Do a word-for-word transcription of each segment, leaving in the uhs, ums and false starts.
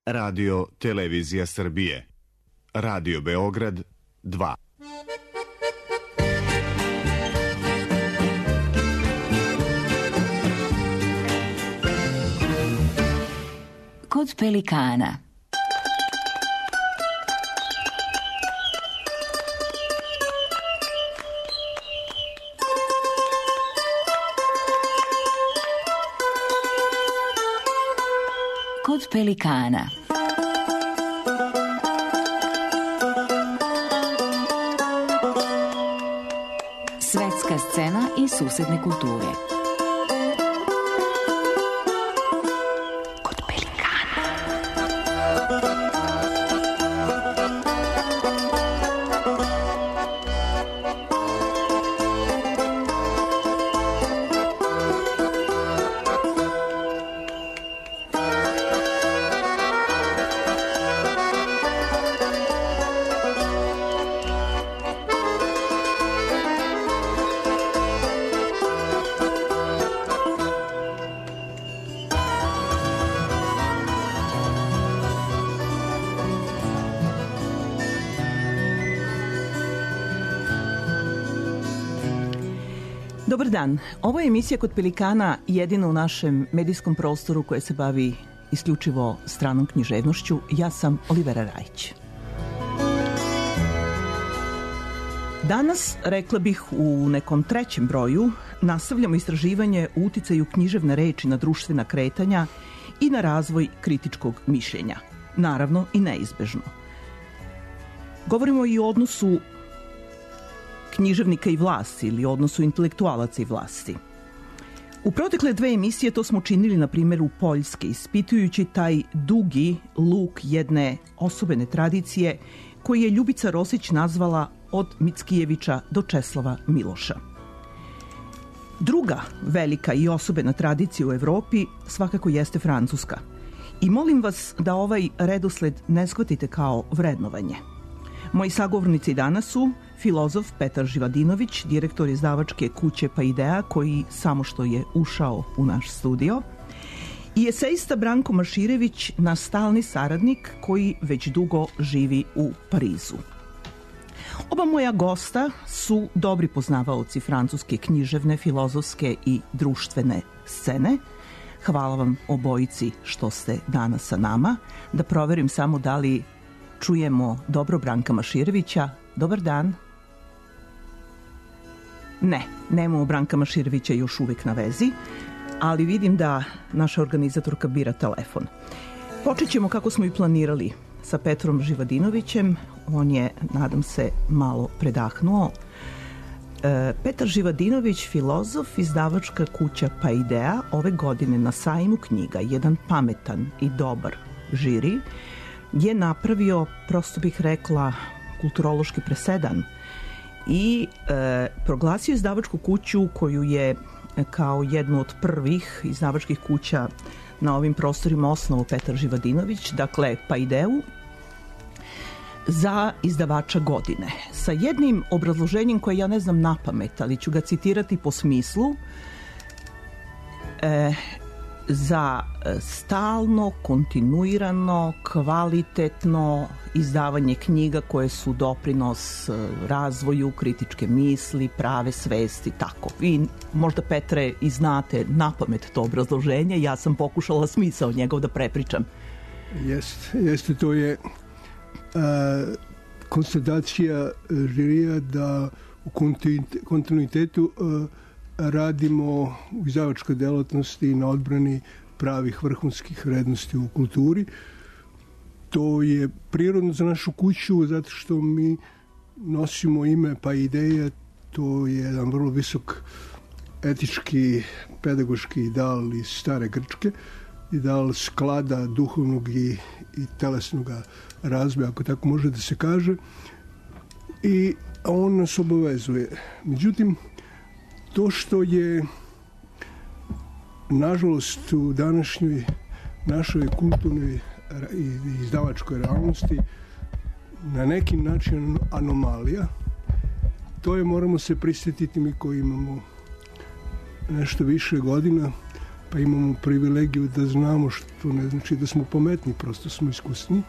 Radio Televizija Srbije. Radio Beograd dva. Kod pelikana. Kod pelikana. Svetska scena i susedne kulture. Kod pelikana. Dobar dan. Ovo je emisija Kod pelikana, jedina u našem medijskom prostoru koja se bavi isključivo stranom književnošću. Ja sam Olivera Rajić. Danas, rekla bih u nekom trećem broju, nastavljamo istraživanje o uticaju književne reči na društvena kretanja i na razvoj kritičkog mišljenja. Naravno i neizbežno. Govorimo i o odnosu književnika i vlasti ili odnosu intelektualaca i vlasti. U protekle dve emisije to smo činili na primjeru Poljske, ispitujući taj dugi luk jedne osobene tradicije koji je Ljubica Rosić nazvala od Mickijevića do Česlava Miloša. Druga velika i osobena tradicija u Evropi svakako jeste Francuska. I molim vas da ovaj redosled ne shvatite kao vrednovanje. Moji sagovornici danas su filozof Petar Živadinović, direktor izdavačke kuće Paideia, koji samo što je ušao u naš studio, i esejista Branko Maširević, naš stalni saradnik koji već dugo živi u Parizu. Oba moja gosta su dobri poznavaoci francuske književne, filozofske i društvene scene. Hvala vam obojici što ste danas sa nama. Da proverim samo da li čujemo dobro Branka Maširevića. Dobar dan. Ne, nemamo Branka Maširevića još uvek na vezi, ali vidim da naša organizatorka bira telefon. Počet ćemo kako smo i planirali sa Petrom Živadinovićem. On je, nadam se, malo predahnuo. E, Petar Živadinović, filozof, izdavačka kuća Paideia, ove godine na sajmu knjiga Jedan pametan i dobar žiri je napravio, prosto bih rekla, kulturološki presedan i e, proglasio izdavačku kuću koju je kao jednu od prvih izdavačkih kuća na ovim prostorima osnovu Petar Živadinović, dakle Paideu, za izdavača godine. Sa jednim obrazloženjem koje ja ne znam napamet, ali ću ga citirati po smislu. E, za stalno, kontinuirano, kvalitetno izdavanje knjiga koje su doprinos razvoju kritičke misli, prave svesti, tako. Vi možda, Petre, i znate napamet to obrazloženje, ja sam pokušala smisao njegov da prepričam. Jeste, jeste, to je a, konstatacija žirija da u kontinuitetu a, radimo u izdavačkoj delatnosti na odbrani pravih vrhunskih vrednosti u kulturi. To je prirodno za našu kuću zato što mi nosimo ime Paideia, to je jedan vrlo visok etički, pedagoški ideal iz stare Grčke, ideal sklada duhovnog i, i telesnog razvoja, ako tako može da se kaže, i on nas obavezuje. Međutim, to što je, nažalost, u današnjoj našoj kulturnoj i izdavačkoj realnosti na neki način anomalija, to je, moramo se prisjetiti mi koji imamo nešto više godina, pa imamo privilegiju da znamo, što ne znači da smo pametni, prosto smo iskusni.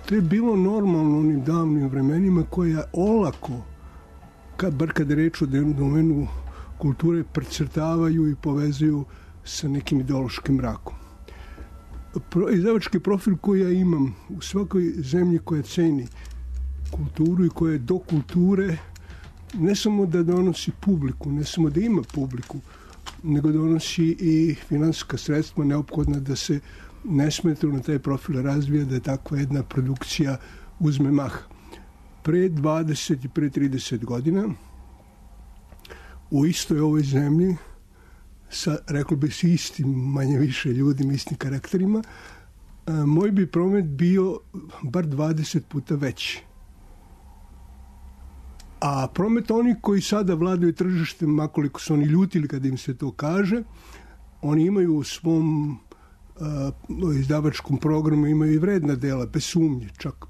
To je bilo normalno u onim davnim vremenima koja olako, kad, bar kada je reč o domenu kulture, precrtavaju i povezuju sa nekim ideološkim mrakom. Pro, izdavački profil koji ja imam u svakoj zemlji koja ceni kulturu i koja je do kulture, ne samo da donosi publiku, ne samo da ima publiku, nego donosi i finansijska sredstva neophodna da se nesmetano na taj profil razvija, da je takva jedna produkcija uzme maha. Pre dvadeset i pre trideset godina u istoj ovoj zemlji sa, reklo bi se, istim manje više ljudima, istim karakterima, moj bi promet bio bar dvadeset puta veći. A promet oni koji sada vladaju tržištem, makoliko su oni ljutili kada im se to kaže, oni imaju u svom uh, izdavačkom programu imaju i vredna dela, bez sumnje, čak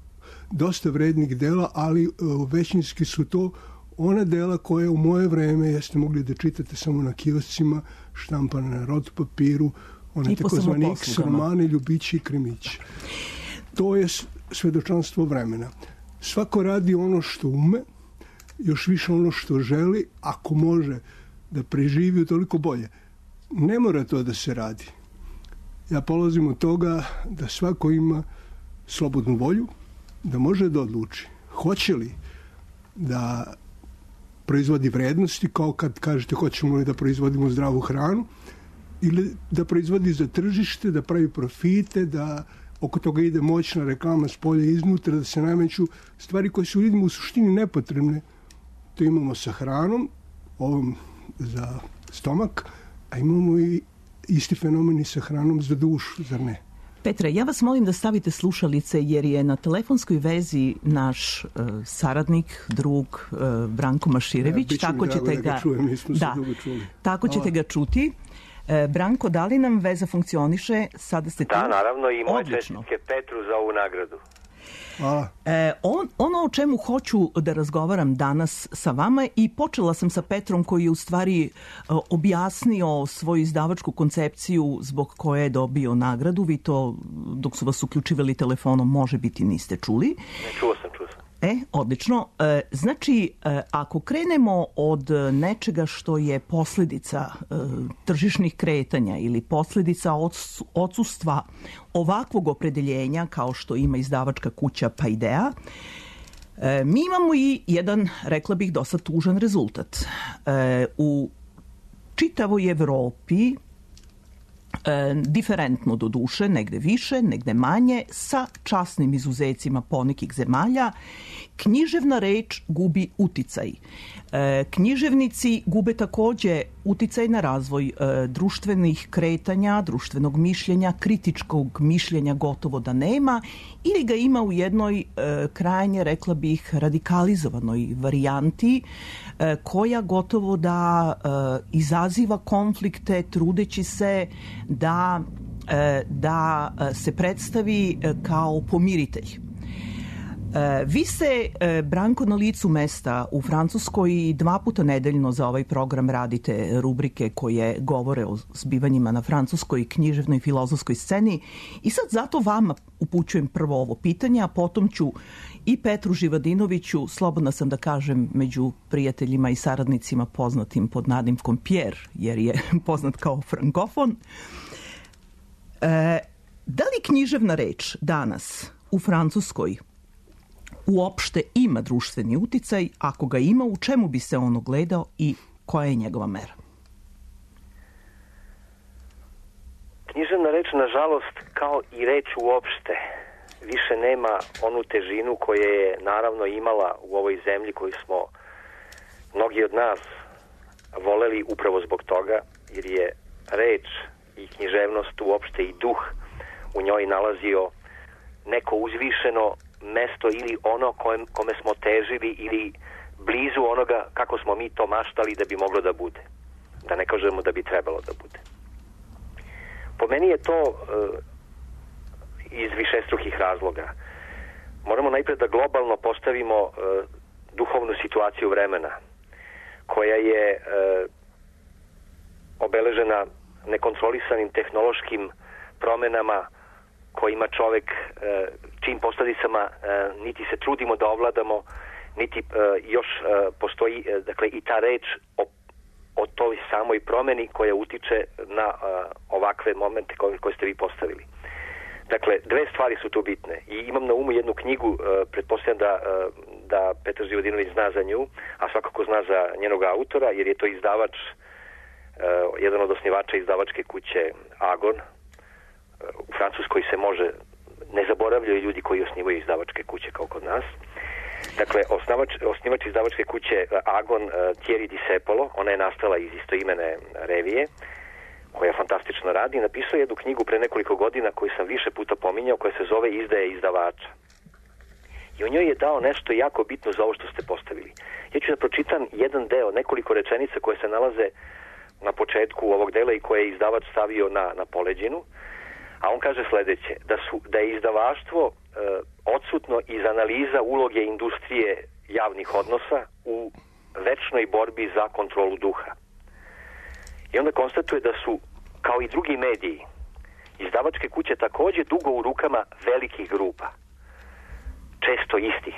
dosta vrednih dela, ali uh, većinski su to ona dela koje u moje vreme jeste mogli da čitate samo na kioscima, štampane na rot papiru, one takozvani X romane, ljubići i krimići. To je svedočanstvo vremena. Svako radi ono što ume, još više ono što želi, ako može da preživi, toliko bolje. Ne mora to da se radi. Ja polazim od toga da svako ima slobodnu volju, da može da odluči. Hoće li da proizvodi vrednosti, kao kad kažete hoćemo li da proizvodimo zdravu hranu, ili da proizvodi za tržište, da pravi profite, da oko toga ide moćna reklama s polja iznutra, da se nameću stvari koje su ljudima u suštini nepotrebne. To imamo sa hranom, ovom za stomak, a imamo i isti fenomen i sa hranom za dušu, zar ne? Petre, ja vas molim da stavite slušalice jer je na telefonskoj vezi naš uh, saradnik, drug uh, Branko Maširević. Ja, tako ćete da ga, ga čujem, mi smo da, se dugo čuli. Tako ćete ga čuti. Uh, Branko, da li nam veza funkcioniše? Sada ste tu. Da, naravno, i moje Odlično. čestitke Petru za ovu nagradu. E, on, ono o čemu hoću da razgovaram danas sa vama, i počela sam sa Petrom koji je u stvari uh, objasnio svoju izdavačku koncepciju zbog koje je dobio nagradu. Vi to, dok su vas uključivali telefonom, može biti niste čuli. Ne, čuo sam, čuo sam. E, odlično. E, znači, e, ako krenemo od nečega što je posljedica e, tržišnih kretanja ili posljedica odsustva ovakvog opredeljenja kao što ima izdavačka kuća Paideia, e, mi imamo i jedan, rekla bih, dosta tužan rezultat. E, u čitavoj Evropi, E, diferentno do duše, negde više, negde manje, sa časnim izuzecima ponekih zemalja, književna reč gubi uticaj. E, književnici gube takođe uticaj na razvoj e, društvenih kretanja, društvenog mišljenja, kritičkog mišljenja gotovo da nema, ili ga ima u jednoj e, krajnje, rekla bih, radikalizovanoj varijanti e, koja gotovo da e, izaziva konflikte trudeći se da, e, da se predstavi e, kao pomiritelj. Vi se, Branko, na licu mesta u Francuskoj dva puta nedeljno za ovaj program radite rubrike koje govore o zbivanjima na francuskoj književnoj i filozofskoj sceni, i sad zato vama upućujem prvo ovo pitanje, a potom ću i Petru Živadinoviću, slobodna sam da kažem među prijateljima i saradnicima poznatim pod nadimkom Pierre, jer je poznat kao frankofon. E, da li književna reč danas u Francuskoj uopšte ima društveni uticaj? Ako ga ima, u čemu bi se on ogledao i koja je njegova mera? Književna reč, nažalost, kao i reč uopšte, više nema onu težinu koja je naravno imala u ovoj zemlji koju smo mnogi od nas voleli upravo zbog toga, jer je reč i književnost uopšte i duh u njoj nalazio neko uzvišeno mesto ili ono kojem, kome smo težili ili blizu onoga kako smo mi to maštali da bi moglo da bude. Da ne kažemo da bi trebalo da bude. Po meni je to uh, iz višestrukih razloga. Moramo najpred da globalno postavimo uh, duhovnu situaciju vremena koja je uh, obeležena nekontrolisanim tehnološkim promenama kojima čovek, čim posledicama niti se trudimo da ovladamo, niti još postoji, dakle, i ta reč o, o toj samoj promeni koja utiče na ovakve momente koje, koje ste vi postavili. Dakle, dve stvari su tu bitne i imam na umu jednu knjigu, pretpostavljam da, da Petar Živodinović zna za nju, a svakako zna za njenog autora, jer je to izdavač, jedan od osnivača izdavačke kuće Agon. U Francuskoj se može, ne zaboravljaju ljudi koji osnivaju izdavačke kuće kao kod nas. Dakle, osnivač, osnivač izdavačke kuće Agon, Thierry Discepolo, ona je nastala iz istoimene revije, koja fantastično radi, napisao jednu knjigu pre nekoliko godina koju sam više puta pominjao, koja se zove Izdaje izdavača. I u njoj je dao nešto jako bitno za ovo što ste postavili. Ja ću da pročitam jedan deo, nekoliko rečenica koje se nalaze na početku ovog dela i koje je izdavač stavio na, na poleđinu, a on kaže sledeće, da, su, da je izdavaštvo e, odsutno iz analiza uloge industrije javnih odnosa u večnoj borbi za kontrolu duha. I onda konstatuje da su, kao i drugi mediji, izdavačke kuće takođe dugo u rukama velikih grupa, često istih,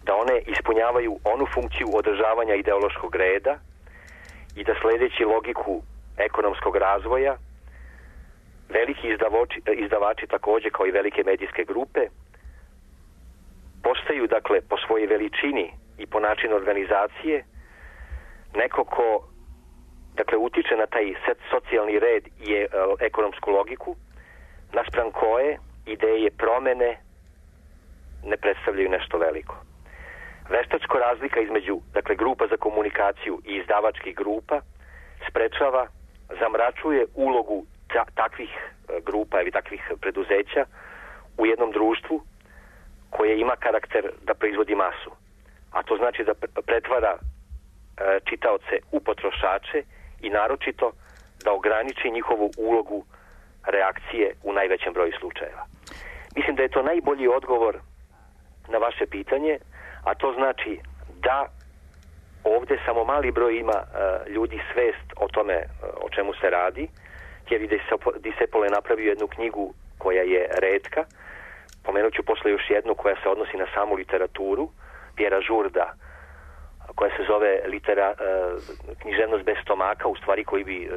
da one ispunjavaju onu funkciju održavanja ideološkog reda i da sledeći logiku ekonomskog razvoja, veliki izdavači, izdavači takođe kao i velike medijske grupe postaju, dakle, po svojoj veličini i po načinu organizacije neko ko, dakle, utiče na taj socijalni red i e, ekonomsku logiku, naspram koje ideje promene ne predstavljaju nešto veliko. Veštačko razlika između, dakle, grupa za komunikaciju i izdavačkih grupa sprečava, zamračuje ulogu ta, takvih grupa ili takvih preduzeća u jednom društvu koje ima karakter da proizvodi masu. A to znači da pretvara e, čitaoce u potrošače i naročito da ograniči njihovu ulogu reakcije u najvećem broju slučajeva. Mislim da je to najbolji odgovor na vaše pitanje, a to znači da ovde samo mali broj ima uh, ljudi svest o tome uh, o čemu se radi. Thierry Discepolo je napravio jednu knjigu koja je retka. Pomenut ću posle još jednu koja se odnosi na samu literaturu, Pierra Jourda, koja se zove litera, uh, književnost bez stomaka, u stvari koji bi uh,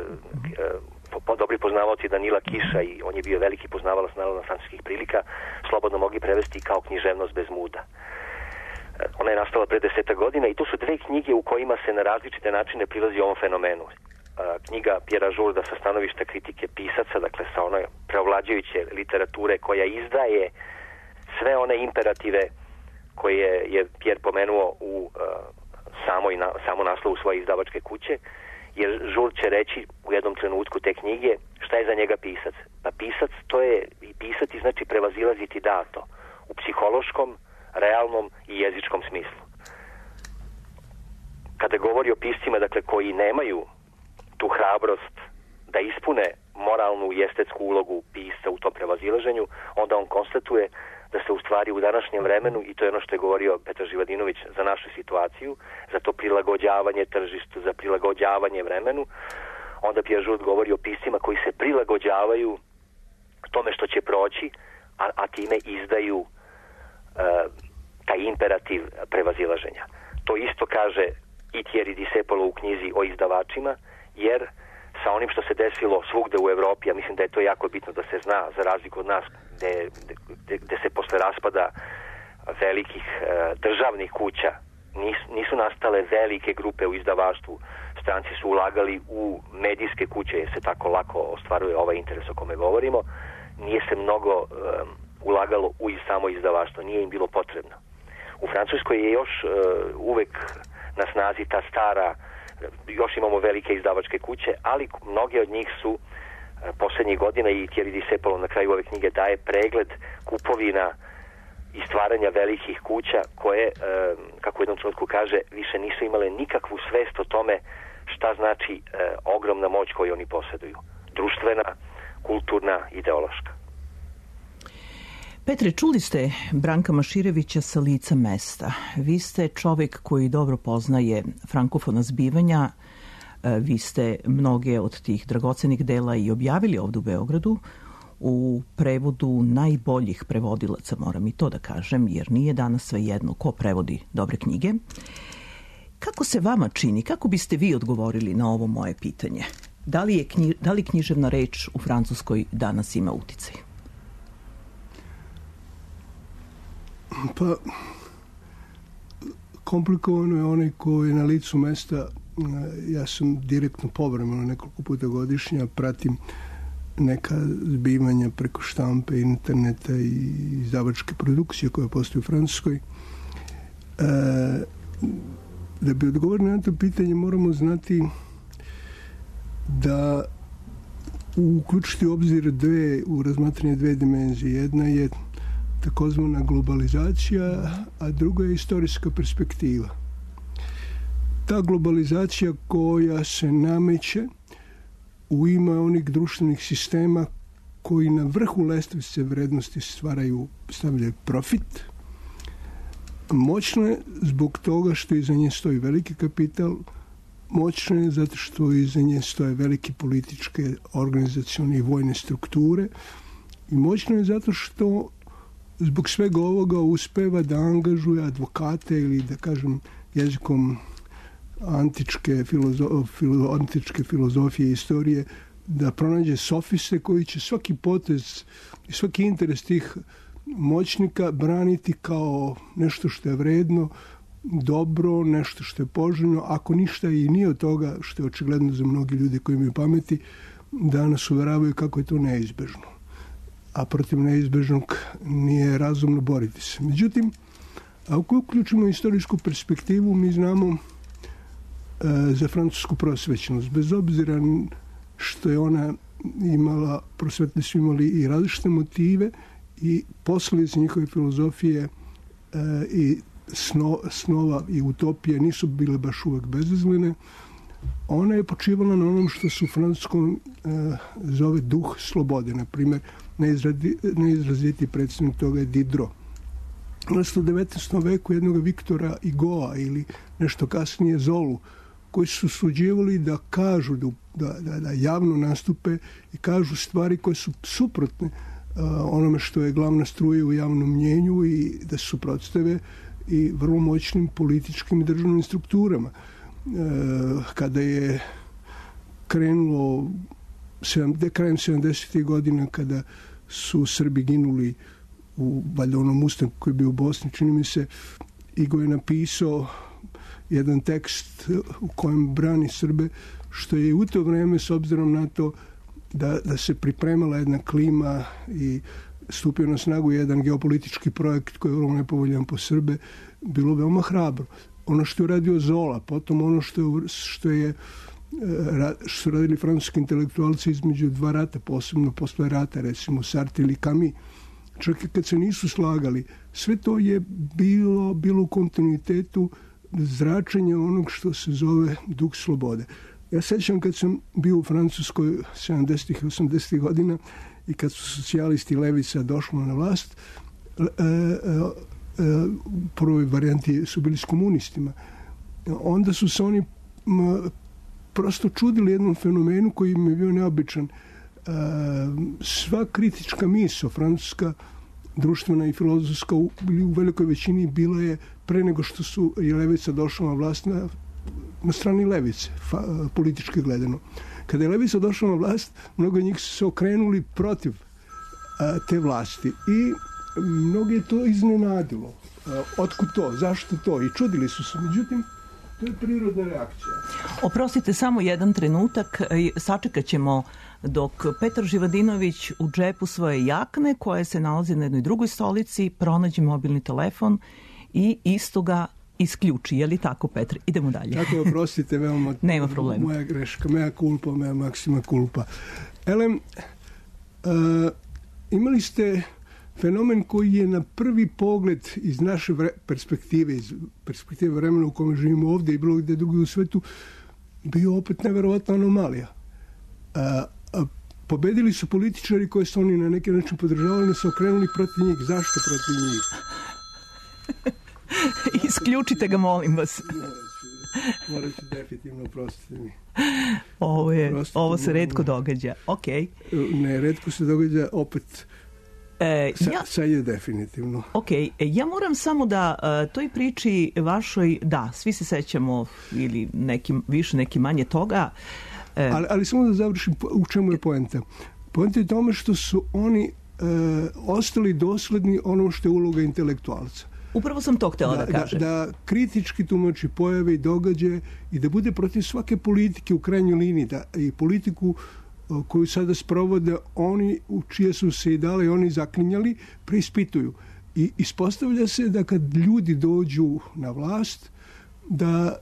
uh, po, dobri poznavaoci Danila Kiša, i on je bio veliki poznavalac naravno francuskih prilika, slobodno mogli prevesti kao književnost bez muda. Ona je nastala pre deseta godina i to su dve knjige u kojima se na različite načine prilazi ovom fenomenu. Knjiga Pierra Jourda sa stanovišta kritike pisaca, dakle sa one preovlađujuće literature koja izdaje sve one imperative koje je Pierre pomenuo u uh, samoj na, samo naslovu svoje izdavačke kuće, jer Jourd će reći u jednom trenutku te knjige šta je za njega pisac. Pa pisac, to je, i pisati znači prevazilaziti dato u psihološkom, realnom i jezičkom smislu. Kada govori o piscima, dakle, koji nemaju tu hrabrost da ispune moralnu i estetsku ulogu pisca u tom prevazilaženju, onda on konstatuje da se u stvari u današnjem vremenu, i to je ono što je govorio Petar Živadinović za našu situaciju, za to prilagođavanje tržištu, za prilagođavanje vremenu, onda Pierre Jourda govori o piscima koji se prilagođavaju tome što će proći, a, a time izdaju uh, taj imperativ prevazilaženja. To isto kaže i Thierry Discepolo u knjizi o izdavačima, jer sa onim što se desilo svugde u Evropi, ja mislim da je to jako bitno da se zna, za razliku od nas, gde, gde, gde se posle raspada velikih e, državnih kuća nis, nisu nastale velike grupe u izdavaštvu. Stranci su ulagali u medijske kuće, jer se tako lako ostvaruje ovaj interes o kome govorimo. Nije se mnogo e, ulagalo u samo izdavaštvo, nije im bilo potrebno. U Francuskoj je još e, uvek na snazi ta stara, još imamo velike izdavačke kuće, ali mnoge od njih su poslednjih godina, i Thierry Discepolo na kraju ove knjige daje pregled kupovina i stvaranja velikih kuća koje, kako u jednom trenutku kaže, više nisu imale nikakvu svest o tome šta znači ogromna moć koju oni posjeduju. Društvena, kulturna, ideološka. Petre, čuli ste Branka Maširevića sa lica mesta. Vi ste čovek koji dobro poznaje frankofona zbivanja. Vi ste mnoge od tih dragocenih dela i objavili ovdje u Beogradu u prevodu najboljih prevodilaca, moram i to da kažem, jer nije danas sve jedno ko prevodi dobre knjige. Kako se vama čini, kako biste vi odgovorili na ovo moje pitanje? Da li, je knji, da li književna reč u Francuskoj danas ima uticaj? Pa, komplikovano je onaj ko je na licu mesta. Ja sam direktno povremeno nekoliko puta godišnja, pratim neka zbivanja preko štampe, interneta i izdavačke produkcije koje postoje u Francuskoj. E, da bi odgovorili na to pitanje moramo znati da uključiti u obzir dve, u razmatranje dve dimenzije. Jedna je takozvana globalizacija, a druga je istorijska perspektiva. Ta globalizacija koja se nameće u ime onih društvenih sistema koji na vrhu lestvice vrednosti stvaraju, stavljaju profit, moćno je zbog toga što iza nje stoji veliki kapital, moćno je zato što iza nje stoje velike političke, organizacione i vojne strukture i moćno je zato što zbog svega ovoga uspeva da angažuje advokate ili da kažem jezikom antičke, filozo, filo, antičke filozofije i istorije da pronađe sofiste koji će svaki potez i svaki interes tih moćnika braniti kao nešto što je vredno, dobro, nešto što je poželjno, ako ništa i nije od toga, što je očigledno za mnogi ljudi koji imaju pameti, da nas uveravaju kako je to neizbežno. A protiv neizbežnog nije razumno boriti se. Međutim, ako uključimo istorijsku perspektivu, mi znamo e, za francusku prosvećenost. Bez obzira što je ona imala, prosvetni su imali i različite motive i posljedice njihove filozofije e, i sno, snova i utopije nisu bile baš uvek bezazlene. Ona je počivala na onom što se u francuskom e, zove duh slobode. Na primjer, najizrazitiji predstavnik toga je Diderot. U devetnaestom veku jednog Viktora Hugoa ili nešto kasnije Zolu, koji su suđivali da kažu, da, da, da javno nastupe i kažu stvari koje su suprotne uh, onome što je glavna struja u javnom mnjenju i da se suprotstave i vrlo moćnim političkim i državnim strukturama. Uh, kada je krenulo sedam, krajem sedamdesetih godina, kada su Srbi ginuli u valjda onom ustanku koji je bio u Bosni, čini mi se, Igo je napisao jedan tekst u kojem brani Srbe, što je u to vreme, s obzirom na to da, da se pripremala jedna klima i stupio na snagu jedan geopolitički projekt koji je vrlo nepovoljan po Srbe, bilo veoma hrabro. Ono što je radio Zola, potom ono što je, što je što su radili francuski intelektualci između dva rata, posebno posle rata, recimo Sartre ili Camus, čak i kad se nisu slagali, sve to je bilo, bilo u kontinuitetu zračenja onog što se zove duh slobode. Ja sećam kad sam bio u Francuskoj sedamdesetih i osamdesetih godina i kad su socijalisti i levica došli na vlast, e, e, e, u prvoj varijanti su bili s komunistima. Onda su se oni m, prosto čudili jednom fenomenu koji im je bio neobičan. E, sva kritička misao, francuska, društvena i filozofska, u, u velikoj većini bila je pre nego što su je levica došla na vlast na, na strani levice, fa, politički gledano. Kada je levica došla na vlast, mnogo njih su se okrenuli protiv a, te vlasti i mnogo je to iznenadilo. A, otkud to? Zašto to? I čudili su se. Međutim, to je prirodna reakcija. Oprostite, samo jedan trenutak. Sačekat ćemo dok Petar Živadinović u džepu svoje jakne, koje se nalazi na jednoj drugoj stolici, pronađe mobilni telefon i isto ga isključi. Je li tako, Petar? Idemo dalje. Tako, oprostite, veoma nema problema. Moja greška, moja kulpa, moja maksima kulpa. Elem, uh, imali ste fenomen koji je na prvi pogled iz naše vre, perspektive, iz perspektive vremena u kome živimo ovdje i bilo gdje drugi u svetu, bio opet neverovatna anomalija. A, a, pobedili su političari koje su oni na neki način podržavali, ne su okrenuli protiv njih. Zašto protiv njih? Isključite ga, molim vas. Morat ću definitivno, prostiti mi. Ovo, je, Prostiti ovo se mi. redko događa. Ok. Ne, redko se događa opet. E, Sa, ja, sad je definitivno. ok, e, ja moram samo da uh, toj priči vašoj, da, svi se sećamo ili neki više, neki manje toga. E, Ali, ali samo da završim u čemu je poenta. Poenta je tome što su oni e, ostali dosledni onom što je uloga intelektualca. upravo sam to htjela da, Da, da kažem. da, da kritički tumači pojave i događaje i da bude protiv svake politike u krajnjoj liniji, da i politiku o, koju sada sprovode oni u čije su se i dale i oni zaklinjali, preispituju. I ispostavlja se da kad ljudi dođu na vlast, da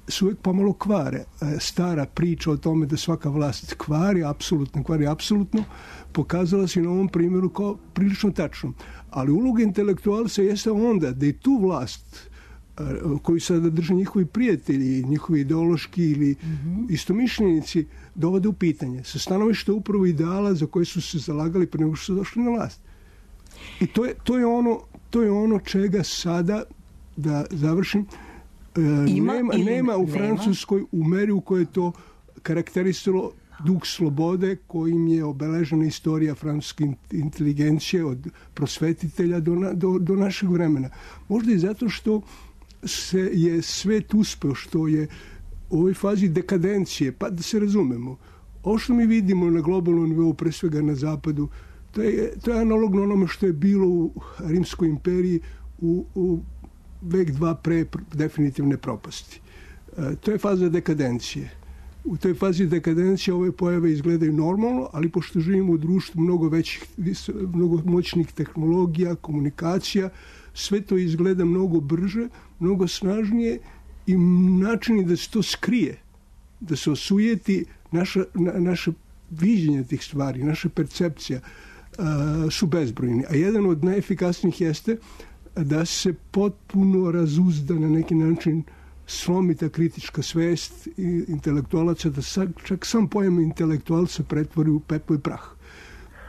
se uvijek pomalo kvare. Stara priča o tome da svaka vlast kvari, apsolutno kvari, apsolutno, pokazala se na ovom primjeru kao prilično tačno. Ali uloga intelektualca jeste onda da i tu vlast koju sada drže njihovi prijatelji, njihovi ideološki ili mm-hmm. istomišljenici dovode u pitanje. Sa stanovišta upravo ideala za koje su se zalagali pre nego što su došli na vlast. I to je, to je, ono, to je ono čega sada, da završim, Ima nema, nema u Francuskoj u meri u kojoj je to karakterisalo duh slobode kojim je obeležena istorija francuske inteligencije od prosvetitelja do, na, do, do našeg vremena. Možda i zato što se je svet uspeo, što je u ovoj fazi dekadencije, pa da se razumemo, ovo što mi vidimo na globalnom nivou, pre svega na zapadu, to je, to je analogno onome što je bilo u Rimskoj imperiji u, u vek dva pre definitivne propasti. E, to je faza dekadencije. U toj fazi dekadencije ove pojave izgledaju normalno, ali pošto živimo u društvu mnogo većih, mnogo moćnih tehnologija, komunikacija, sve to izgleda mnogo brže, mnogo snažnije i načini da se to skrije, da se osujeti naša, na, naše viđenje tih stvari, naša percepcija uh, su bezbrojni. A jedan od najefikasnijih jeste da se potpuno razuzda na neki način slomi ta kritička svest i intelektualaca, da sa, čak sam pojam intelektualca pretvori u pepo i prah.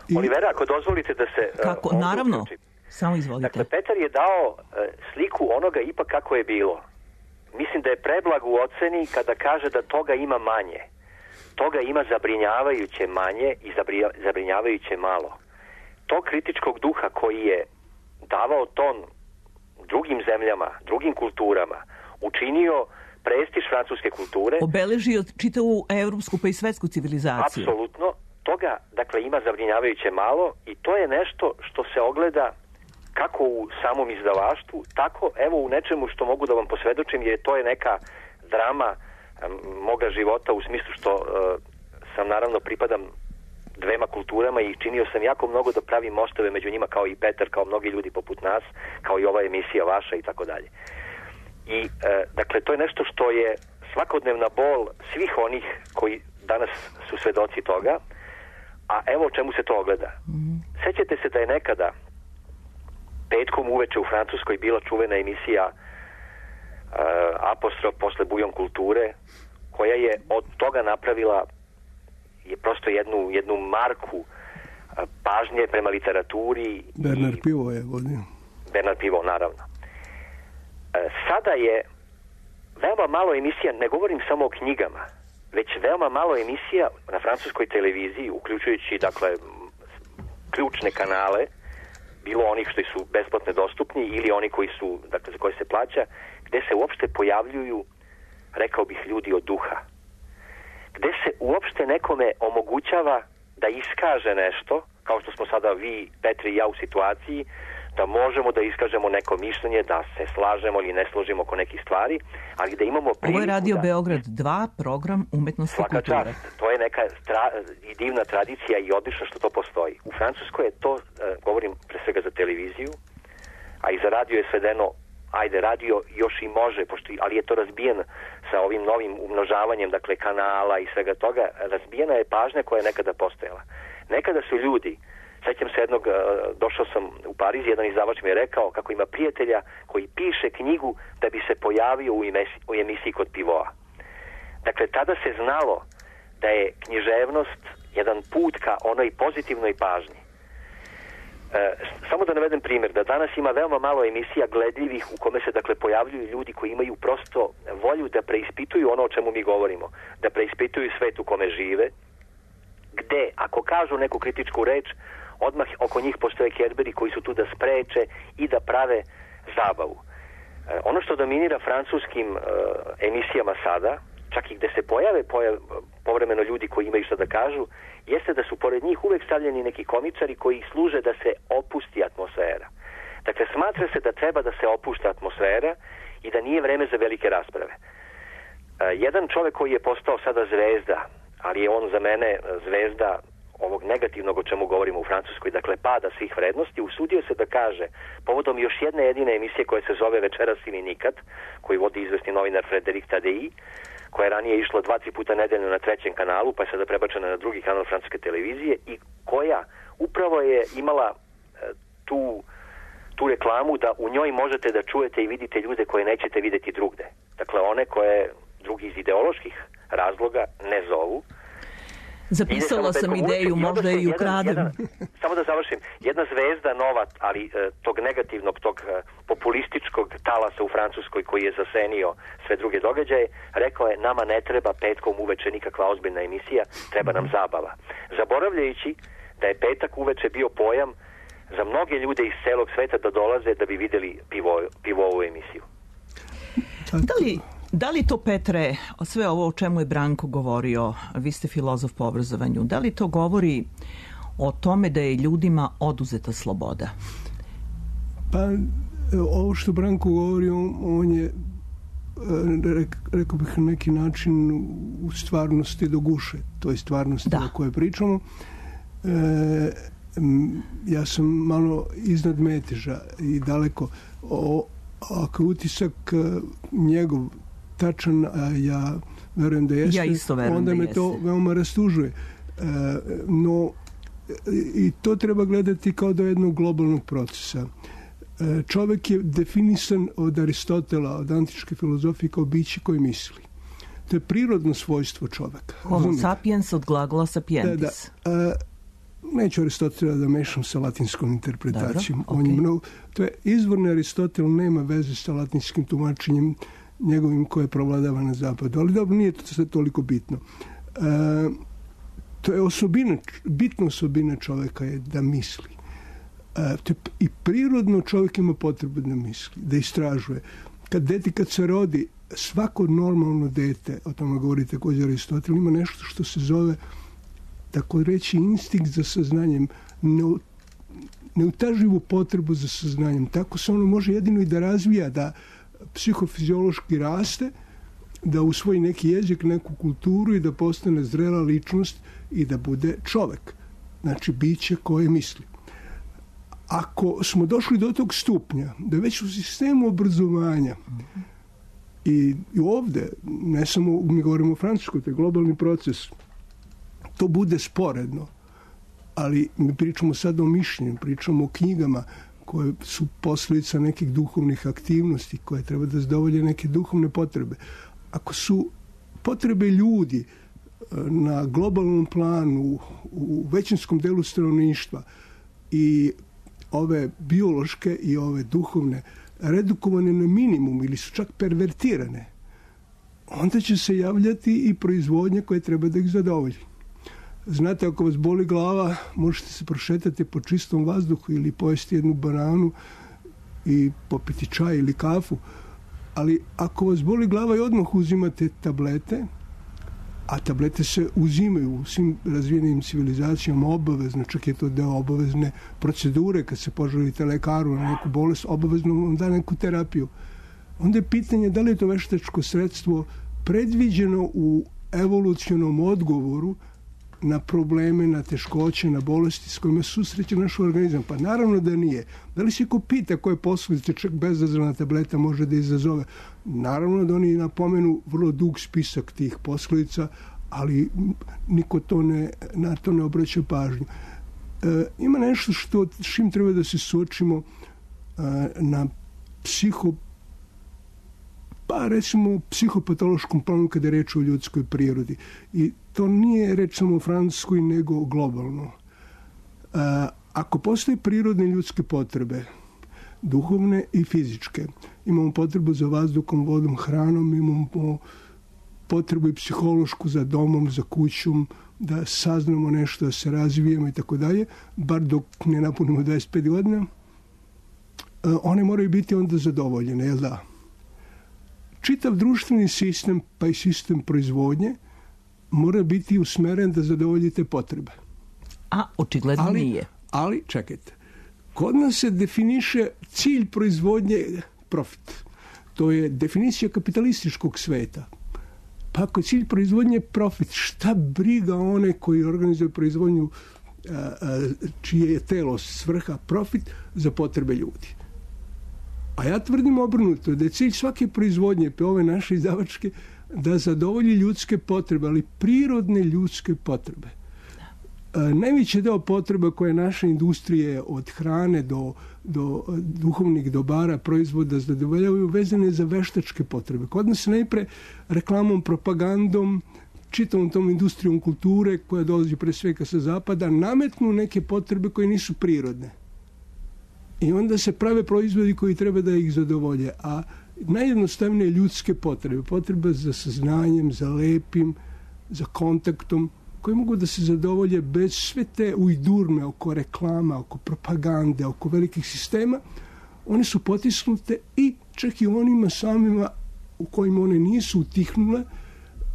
I... Olivera, ako dozvolite da se... Kako? Uh, Naravno. Uključim. Samo izvolite. Dakle, Petar je dao uh, sliku onoga ipak kako je bilo. Mislim da je preblag u oceni kada kaže da toga ima manje. Toga ima zabrinjavajuće manje i zabrinjavajuće malo. To kritičkog duha koji je davao ton drugim zemljama, drugim kulturama, učinio prestiž francuske kulture. Obeležio čitavu evropsku pa i svetsku civilizaciju. Apsolutno. Toga, dakle, ima zabrinjavajuće malo i to je nešto što se ogleda kako u samom izdavaštvu, tako evo u nečemu što mogu da vam posvedočim, jer to je neka drama um, moga života u smislu što uh, sam naravno pripadam dvema kulturama i činio sam jako mnogo da pravim mostove među njima kao i Petar, kao mnogi ljudi poput nas, kao i ova emisija vaša i tako dalje. I uh, dakle to je nešto što je svakodnevna bol svih onih koji danas su svedoci toga, a evo o čemu se to ogleda. Mm. Sećate se da je nekada petkom uveče u Francuskoj bila čuvena emisija uh, Apostrof posle Bujon kulture, koja je od toga napravila je prosto jednu, jednu marku uh, pažnje prema literaturi. Bernard i... Pivot je vodio. Bernard Pivot, naravno. Uh, sada je veoma malo emisija, ne govorim samo o knjigama, već veoma malo emisija na francuskoj televiziji, uključujući, dakle, ključne kanale, bilo onih što su besplatno dostupni ili oni koji su, dakle, za koje se plaća, gde se uopšte pojavljuju, rekao bih, ljudi od duha. Gde se uopšte nekome omogućava da iskaže nešto, kao što smo sada vi, Petri i ja u situaciji, da možemo da iskažemo neko mišljenje, da se slažemo ili ne složimo oko nekih stvari, ali da imamo priliku... Ovo je Radio da... Beograd dva, program umetnosti Svaka kulture. Čast. To je neka tra... i divna tradicija i odlično što to postoji. U Francuskoj je to, uh, govorim pre svega za televiziju, a i za radio je svedeno, ajde, radio još i može, pošto, ali je to razbijen sa ovim novim umnožavanjem, dakle, kanala i svega toga, razbijena je pažnja koja je nekada postojala. Nekada su ljudi, sećam se jednog, došao sam u Pariz, jedan izdavač mi je rekao kako ima prijatelja koji piše knjigu da bi se pojavio u emisiji, u emisiji kod Pivoa. Dakle, tada se znalo da je književnost jedan put ka onoj pozitivnoj pažnji. E, samo da navedem primjer, da danas ima veoma malo emisija gledljivih u kome se dakle pojavljuju ljudi koji imaju prosto volju da preispituju ono o čemu mi govorimo, da preispituju svet u kome žive, gde ako kažu neku kritičku reč, odmah oko njih postoje kerberi koji su tu da spreče i da prave zabavu. E, ono što dominira francuskim e, emisijama sada, čak i gde se pojave, pojave povremeno ljudi koji imaju što da kažu, jeste da su pored njih uvek stavljeni neki komičari koji služe da se opusti atmosfera. Dakle, smatra se da treba da se opušta atmosfera i da nije vreme za velike rasprave. E, jedan čovek koji je postao sada zvezda, ali je on za mene zvezda ovog negativnog o čemu govorimo u Francuskoj, dakle pada svih vrednosti, usudio se da kaže povodom još jedne jedine emisije koja se zove Večeras ili nikad, koju vodi izvesni novinar Frédéric Tadei, koja je ranije išla dva, tri puta nedeljno na trećem kanalu, pa je sada prebačena na drugi kanal francuske televizije i koja upravo je imala e, tu, tu reklamu da u njoj možete da čujete i vidite ljude koje nećete videti drugde. Dakle, one koje drugi iz ideoloških razloga ne zovu. Zapisala sam ideju, možda je i ukradem. Samo da završim. Jedna zvezda nova, ali e, tog negativnog, tog e, populističkog talasa u Francuskoj koji je zasenio sve druge događaje, rekao je, nama ne treba petkom uveče nikakva ozbiljna emisija, treba nam zabava. Zaboravljajući da je petak uveče bio pojam za mnoge ljude iz celog sveta da dolaze da bi videli pivo, pivovu emisiju. Da li... Da li to, Petre, sve ovo o čemu je Branko govorio, vi ste filozof po obrazovanju, da li to govori o tome da je ljudima oduzeta sloboda? Pa, ovo što Branko govori, on, on je, rekao bih na neki način, u stvarnosti do guše, to je stvarnosti da. O kojoj pričamo. E, ja sam malo iznad meteža i daleko. O, ako utisak njegov tačan, a ja verujem da jeste, ja isto verujem onda da me jeste. to veoma rastužuje. E, no, i to treba gledati kao do jednog globalnog procesa. E, čovek je definisan od Aristotela, od antičke filozofije kao biće koje misli. To je prirodno svojstvo čoveka. Homo Zumite. Sapiens od glagola sapientis. Da, da. E, neću Aristotela da mešam sa latinskom interpretacijom. Dobro, On je okay. mnogo, to je izvorni Aristotel, nema veze sa latinskim tumačenjem njegovim koje provladava na zapadu. Ali dobro, nije to sve toliko bitno. E, to je osobina, bitna osobina čoveka je da misli. E, to je, i prirodno čovjek ima potrebu da misli, da istražuje. Kad dete, kad se rodi, svako normalno dete, o tome govori također Aristotel, ima nešto što se zove, tako reći, instinkt za saznanjem, neutaživu potrebu za saznanjem. Tako se ono može jedino i da razvija, da psihofiziološki raste, da usvoji neki jezik, neku kulturu i da postane zrela ličnost i da bude čovek. Znači, biće koje misli. Ako smo došli do tog stupnja, da već u sistemu obrazovanja i, i ovde, ne samo, mi govorimo o Francuskoj, to je globalni proces, to bude sporedno, ali mi pričamo sad o mišljenju, pričamo o knjigama koje su posljedica nekih duhovnih aktivnosti koje treba da zadovolje neke duhovne potrebe. Ako su potrebe ljudi na globalnom planu, u većinskom delu stanovništva i ove biološke i ove duhovne redukovane na minimum ili su čak pervertirane, onda će se javljati i proizvodnja koja treba da ih zadovolji. Znate, ako vas boli glava, možete se prošetati po čistom vazduhu ili pojesti jednu bananu i popiti čaj ili kafu, ali ako vas boli glava i odmah uzimate tablete, a tablete se uzimaju u svim razvijenim civilizacijama obavezno, čak je to deo obavezne procedure, kad se poželite lekaru na neku bolest, obavezno vam da neku terapiju. Onda je pitanje da li je to veštačko sredstvo predviđeno u evolucionom odgovoru na probleme, na teškoće, na bolesti s kojima susreće naš organizam. Pa naravno da nije. Da li se ko pita koje posljedice čak bezazrena tableta može da izazove? Naravno da oni napomenu vrlo dug spisak tih posljedica, ali niko to ne, na to ne obraća pažnju. E, ima nešto što s čim treba da se suočimo e, na psiho pa recimo psihopatološkom planu kada je reč o ljudskoj prirodi. I to nije reč samo o Francuskoj, nego globalno. A, ako postoje prirodne ljudske potrebe, duhovne i fizičke, imamo potrebu za vazduhom, vodom, hranom, imamo potrebu i psihološku za domom, za kućom, da saznamo nešto, da se razvijemo i tako dalje, bar dok ne napunimo dvadeset pet godina, one moraju biti onda zadovoljene, jel da? Čitav društveni sistem, pa i sistem proizvodnje, mora biti usmeren da zadovolji te potrebe. A očigledno ali, nije. Ali, čekajte, kod nas se definiše cilj proizvodnje profit. To je definicija kapitalističkog sveta. Pa ako cilj proizvodnje je profit, šta briga one koji organizuju proizvodnju a, a, čije je telo svrha profit za potrebe ljudi. A ja tvrdim obrnuto, da je cilj svake proizvodnje, pe ove naše izdavačke, da zadovolji ljudske potrebe, ali prirodne ljudske potrebe. A, najveći deo potreba koje naše industrije od hrane do, do duhovnih dobara, proizvoda zadovoljavaju vezane za veštačke potrebe. Kod nas se najpre reklamom, propagandom, čitavom tom industrijom kulture koja dolazi pre svega sa zapada, nametnu neke potrebe koje nisu prirodne. I onda se prave proizvodi koji treba da ih zadovolje. A najjednostavnije ljudske potrebe, potrebe za saznanjem, za lepim, za kontaktom, koji mogu da se zadovolje bez sve te ujdurme oko reklama, oko propagande, oko velikih sistema, one su potisnute i čak i onima samima u kojima one nisu utihnule,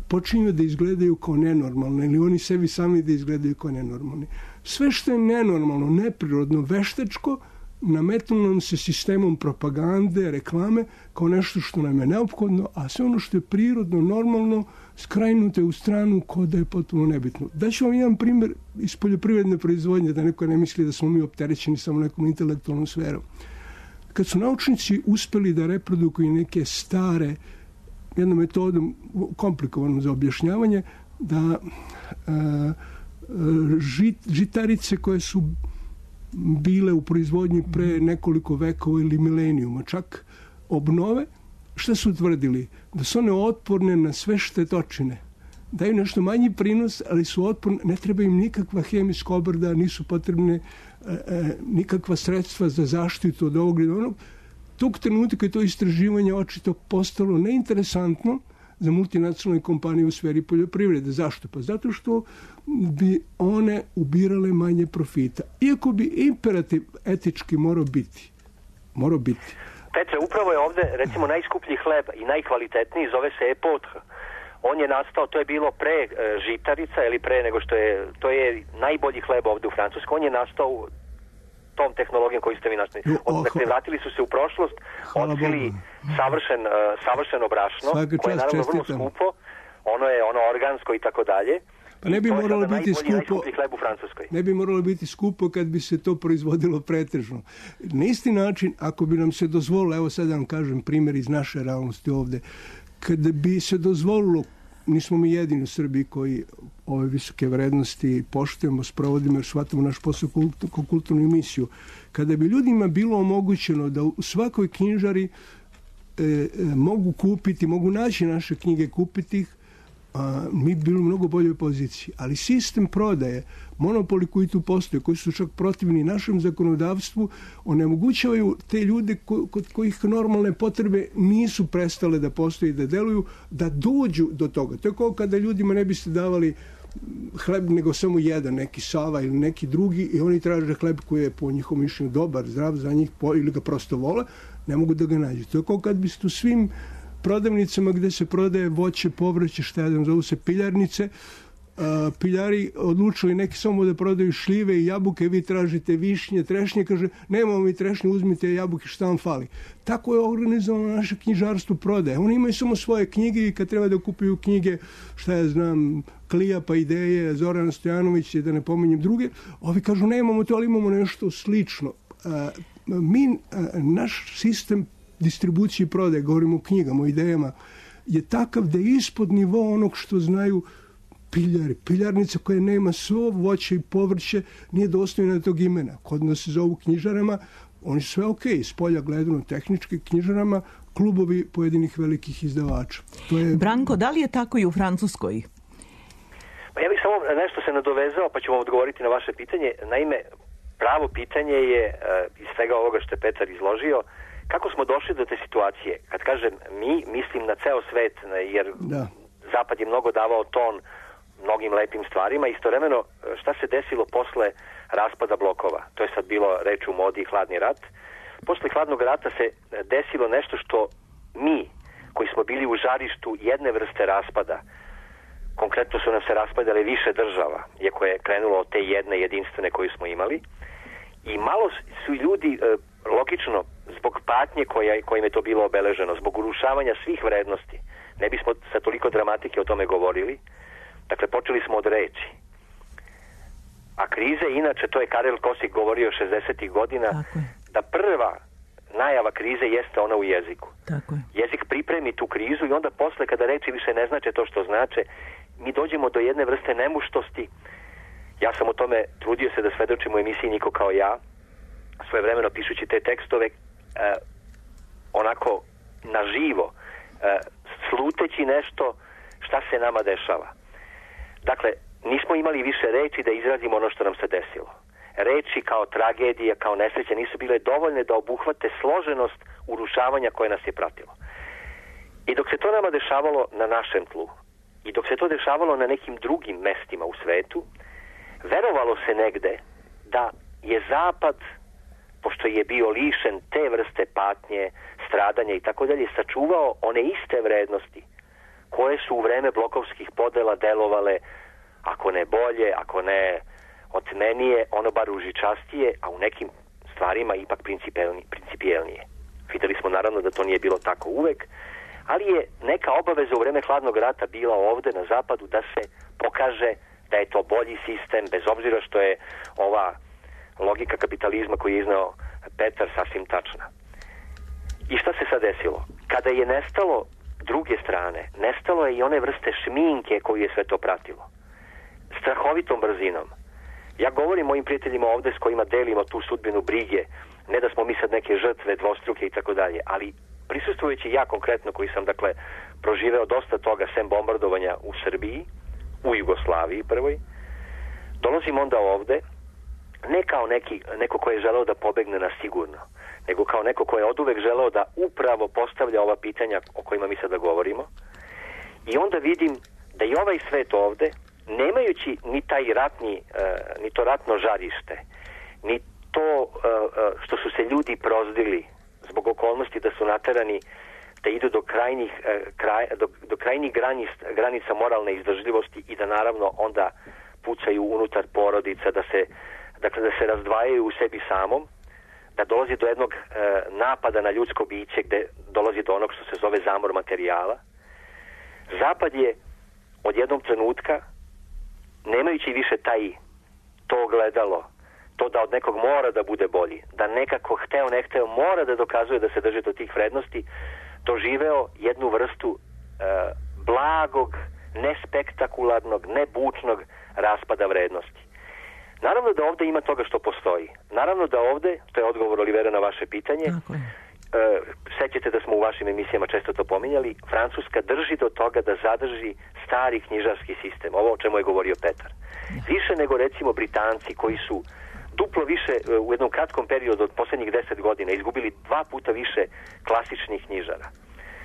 počinju da izgledaju kao nenormalne ili oni sebi sami da izgledaju kao nenormalni. Sve što je nenormalno, neprirodno, veštačko, nametnulo nam se sistemom propagande, reklame, kao nešto što nam je neophodno, a sve ono što je prirodno, normalno, skrajnuto je u stranu kao da je potpuno nebitno. Daću vam jedan primjer iz poljoprivredne proizvodnje, da neko ne misli da smo mi opterećeni samo nekom intelektualnom sferom. Kad su naučnici uspeli da reprodukuju neke stare, jednom metodom komplikovanom za objašnjavanje, da a, žit, žitarice koje su bile u proizvodnji pre nekoliko vekova ili milenijuma čak obnove, šta su utvrdili? Da su one otporne na sve štetočine. Daju nešto manji prinos, ali su otporne, ne treba im nikakva hemijska obrada, nisu potrebne e, e, nikakva sredstva za zaštitu od ovog ili onog. Tog trenutka je to istraživanje očito postalo neinteresantno za multinacionalne kompanije u sferi poljoprivrede. Zašto? Pa zato što bi one ubirale manje profita. Iako bi imperativ etički morao biti. Morao biti. Petre, upravo je ovde, recimo, najskuplji hleb i najkvalitetniji, zove se epotre. On je nastao, to je bilo pre e, žitarica, ili pre nego što je, to je najbolji hleb ovde u Francuskoj. On je nastao tom tehnologijom koju ste vi našli. Dakle, vratili su se u prošlost, otkrili savršen, uh, savršeno brašno, koje je naravno vrlo skupo, ono je ono organsko i tako dalje. Pa ne bi moralo biti skupo, u Francuskoj. Ne bi moralo biti skupo kad bi se to proizvodilo pretežno. Na isti način, ako bi nam se dozvolilo, evo sad vam kažem primjer iz naše realnosti ovde, kada bi se dozvolilo, nismo mi jedini u Srbiji koji ove visoke vrednosti poštujemo, sprovodimo jer shvatamo naš posao kao kulturnu emisiju. Kada bi ljudima bilo omogućeno da u svakoj knjižari e, e, mogu kupiti, mogu naći naše knjige, kupiti ih, a, mi bi bili u mnogo boljoj poziciji. Ali sistem prodaje, monopoli koji tu postoje, koji su čak protivni našem zakonodavstvu, onemogućavaju te ljude ko, kod kojih normalne potrebe nisu prestale da postoje i da deluju, da dođu do toga. To je kao kada ljudima ne biste davali hleb nego samo jedan, neki Sava ili neki drugi, i oni traže hleb koji je po njihovom mišljenju dobar, zdrav za njih ili ga prosto vole, ne mogu da ga nađu. To je kao kad biste u svim prodavnicama gde se prodaje voće, povrće, šta ja znam, zovu se piljarnice, Uh, piljari odlučili neki samo da prodaju šljive i jabuke, vi tražite višnje, trešnje, kaže nemamo mi trešnje, uzmite jabuke, šta vam fali. Tako je organizovano naše knjižarstvo prodaje. Oni imaju samo svoje knjige i kad treba da kupuju knjige, šta ja znam, Klijapa, Ideje, Zoran Stojanović, da ne pominjem druge, ovi kažu nemamo to, ali imamo nešto slično. Uh, mi, uh, naš sistem distribucije i prodaje, govorimo o knjigama, o idejama, je takav da je ispod nivoa onog što znaju piljari. Piljarnica koja nema svo voće i povrće nije dostojna tog imena. Kod nas se zovu knjižarama, oni su sve ok, s polja gledano tehnički knjižarama, klubovi pojedinih velikih izdavača. To je... Branko, da li je tako i u Francuskoj? Pa ja bih samo nešto se nadovezao, pa ću vam odgovoriti na vaše pitanje. Naime, pravo pitanje je, iz svega ovoga što je Petar izložio, kako smo došli do te situacije. Kad kažem mi, mislim na ceo svet, jer da. Zapad je mnogo davao ton mnogim lepim stvarima. Istovremeno, šta se desilo posle raspada blokova? To je sad bilo reč u modi hladni rat. Posle hladnog rata se desilo nešto što mi, koji smo bili u žarištu jedne vrste raspada, konkretno su nam se raspadale više država, iako je krenulo od te jedne jedinstvene koju smo imali, i malo su ljudi, logično, zbog patnje koja, kojim je to bilo obeleženo, zbog urušavanja svih vrednosti, ne bismo sa toliko dramatike o tome govorili, dakle počeli smo od reči. A krize, inače, to je Karel Kosik govorio šezdesetih godina, da prva najava krize jeste ona u jeziku. Tako je. Jezik pripremi tu krizu i onda posle, kada reči više ne znače to što znače, mi dođemo do jedne vrste nemuštosti. Ja sam o tome trudio se da svedočim u emisiji Niko kao ja, svojevremeno pišući te tekstove, eh, onako naživo, eh, sluteći nešto šta se nama dešava. Dakle, nismo imali više reči da izrazimo ono što nam se desilo. Reči kao tragedija, kao nesreće nisu bile dovoljne da obuhvate složenost urušavanja koje nas je pratilo. I dok se to nama dešavalo na našem tlu, i dok se to dešavalo na nekim drugim mestima u svetu, verovalo se negde da je Zapad, pošto je bio lišen te vrste patnje, stradanja i tako dalje, sačuvao one iste vrednosti koje su u vreme blokovskih podela delovale, ako ne bolje, ako ne otmenije, ono bar ružičastije, a u nekim stvarima ipak principijelnije. Videli smo naravno da to nije bilo tako uvek, ali je neka obaveza u vreme hladnog rata bila ovde na zapadu da se pokaže da je to bolji sistem, bez obzira što je ova logika kapitalizma koju je iznao Petar sasvim tačna. I šta se sad desilo? Kada je nestalo druge strane, nestalo je i one vrste šminke koju je sve to pratilo. Strahovitom brzinom. Ja govorim mojim prijateljima ovde s kojima delimo tu sudbinu brige, ne da smo mi sad neke žrtve, dvostruke i tako dalje, ali prisustvujući ja konkretno, koji sam dakle proživeo dosta toga sem bombardovanja u Srbiji, u Jugoslaviji prvoj, dolazim onda ovde ne kao neki, neko ko je želeo da pobegne na sigurno, nego kao neko ko je oduvek želeo da upravo postavlja ova pitanja o kojima mi sada govorimo, i onda vidim da i ovaj svet ovde, nemajući ni taj ratni, uh, ni to ratno žarište, ni to uh, uh, što su se ljudi prozdili zbog okolnosti da su naterani da idu do krajnjih, uh, kraj, do, do krajnjih granica, granica moralne izdržljivosti i da naravno onda pucaju unutar porodica, da se, dakle, da se razdvajaju u sebi samom, da dolazi do jednog uh, napada na ljudsko biće gde dolazi do onog što se zove zamor materijala. Zapad je od jednog trenutka, nemajući više taj to gledalo, to da od nekog mora da bude bolji, da nekako hteo ne hteo mora da dokazuje da se drži do tih vrednosti, doživeo jednu vrstu e, blagog, nespektakularnog, nebučnog raspada vrednosti. Naravno da ovde ima toga što postoji. Naravno da ovde, to je odgovor Olivera na vaše pitanje, e, sećate da smo u vašim emisijama često to pominjali, Francuska drži do toga da zadrži stari knjižarski sistem, ovo o čemu je govorio Petar. Više nego recimo Britanci koji su duplo više u jednom kratkom periodu od posljednjih deset godina izgubili dva puta više klasičnih knjižara.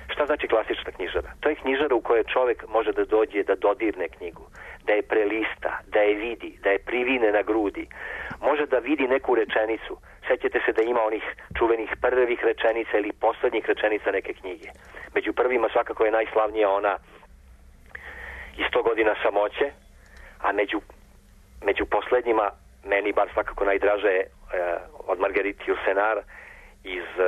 Šta znači klasična knjižara? To je knjižara u kojoj čovjek može da dođe da dodirne knjigu, da je prelista, da je vidi, da je privine na grudi, može da vidi neku rečenicu. Sjećate se da ima onih čuvenih prvih rečenica ili posljednjih rečenica neke knjige. Među prvima svakako je najslavnija ona iz sto godina samoće, a među, među posljednjima meni bar svakako najdraže je uh, od Marguerite Yourcenar iz uh,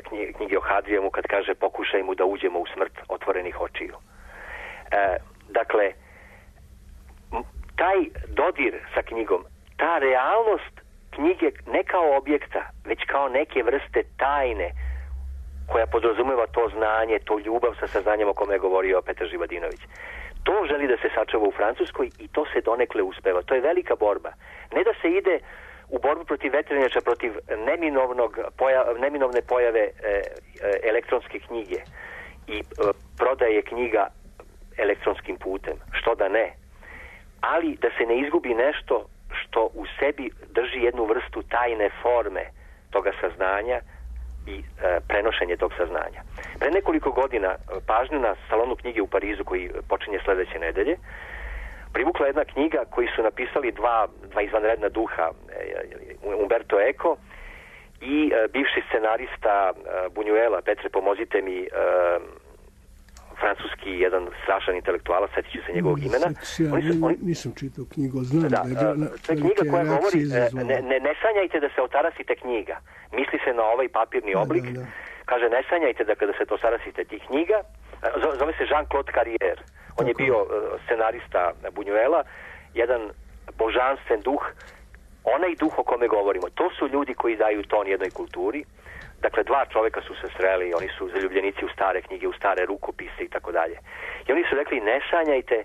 knjige, knjige o Hadrijamu, kad kaže pokušaj mu da uđemo u smrt otvorenih očiju. Uh, dakle, taj dodir sa knjigom, ta realnost knjige ne kao objekta, već kao neke vrste tajne koja podrazumeva to znanje, to ljubav sa saznanjem o kome je govorio Petar Živadinović. To želi da se sačuva u Francuskoj i to se donekle uspeva. To je velika borba. Ne da se ide u borbu protiv vetrenjača, protiv neminovnog poja, neminovne pojave e, e, elektronske knjige i e, prodaje knjiga elektronskim putem. Što da ne? Ali da se ne izgubi nešto što u sebi drži jednu vrstu tajne forme toga saznanja i e, prenošenje tog saznanja. Pre nekoliko godina pažnju na salonu knjige u Parizu, koji počinje sledeće nedelje, privukla jedna knjiga koju su napisali dva, dva izvanredna duha, Umberto Eco i e, bivši scenarista e, Buñuela. Petre, pomozite mi, e, francuski jedan strašan intelektualac, setit ću se njegovog imena. Ja oni su, oni... nisam čitao knjigu, znam da, da je bila na, to je knjiga koja govori, ne, ne, ne sanjajte da se otarasite knjiga. Misli se na ovaj papirni oblik. Da, da, da. Kaže, ne sanjajte da kada se to otarasite tih knjiga. Zove se Jean-Claude Carrière. On Tako. je bio scenarista Buñuela, jedan božanstven duh, onaj duh o kome govorimo. To su ljudi koji daju ton jednoj kulturi. Dakle, dva čoveka su se sreli, oni su zaljubljenici u stare knjige, u stare rukopise i tako dalje. I oni su rekli, ne sanjajte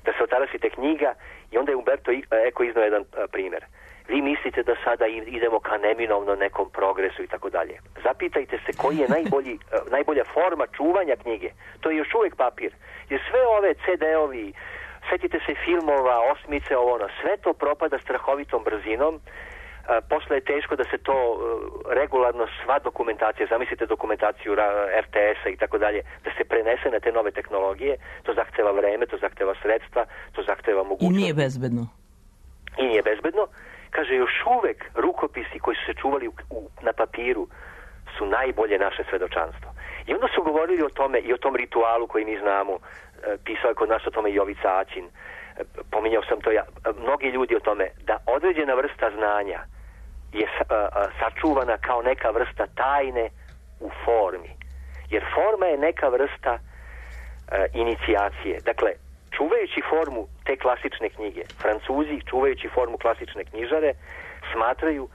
da se otarasite knjiga, i onda je Umberto Eco iznao jedan a, primjer. Vi mislite da sada idemo ka neminovno nekom progresu i tako dalje. Zapitajte se koji je najbolji, a, najbolja forma čuvanja knjige. To je još uvijek papir. Jer sve ove ce de-ovi, setite se filmova, osmice, ovo ono, sve to propada strahovitom brzinom. A, posle je teško da se to uh, regularno, sva dokumentacija, zamislite dokumentaciju er te esa i tako dalje, da se prenese na te nove tehnologije. To zahteva vreme, to zahteva sredstva, to zahteva mogućnost. I nije bezbedno. I nije bezbedno. Kaže, još uvek rukopisi koji su se čuvali u, u, na papiru su najbolje naše svedočanstvo. I onda su govorili o tome i o tom ritualu koji mi znamo. E, pisao je kod nas o tome i Jovica Aćin. E, pominjao sam to ja. E, mnogi ljudi o tome da određena vrsta znanja je a, a, sačuvana kao neka vrsta tajne u formi. Jer forma je neka vrsta a, inicijacije. Dakle, čuvajući formu te klasične knjige, Francuzi, čuvajući formu klasične knjižare, smatraju